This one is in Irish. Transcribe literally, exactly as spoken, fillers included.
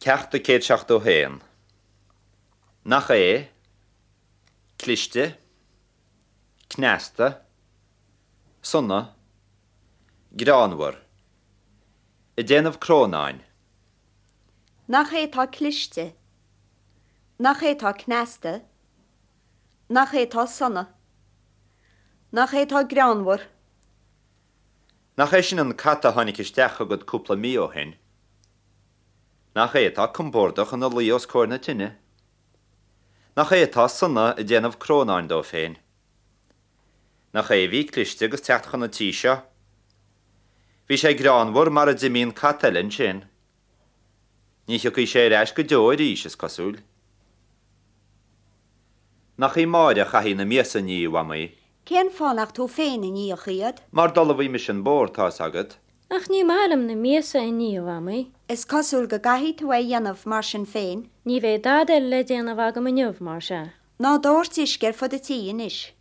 Ceacht a céad seachtó haon. Nach é? Cliste. Cneasta. Sona. Greannmhar. Ag déanamh crónáin. Nach é atá cliste? Nach é atá cneasta? Nach é atá sona? Nach é atá greannmhar? Nach é sin an cat a tháinig isteach chugat cúpla mí ó shin? Nach é atá compordach ina luí os comhair na tine? Nach é atá sona ag déanamh crónáin dó féin? Nach é a bhí cliste agus teacht chun an tí seo? Bhí sé greannmhar mar a d'imigh an cat eile ansin. Ní thiocfaidh sé ar ais go deo arís is cosúil. Nach í Máire a chaithfidh na miasa a ní, a Mhamaí? Cén fáth nach tú féin a nífeadh iad? Mar d'ullmhaigh mise an bord, tá's agat. Ach ní maith liom na miasa a ní, a Mhamaí. Is cosúil go gcaithfidh tú é a dhéanamh mar sin féin. Ní bheidh dada eile le déanamh agam inniu mar sea. Ná dóirt uisce ar fud an tí anois.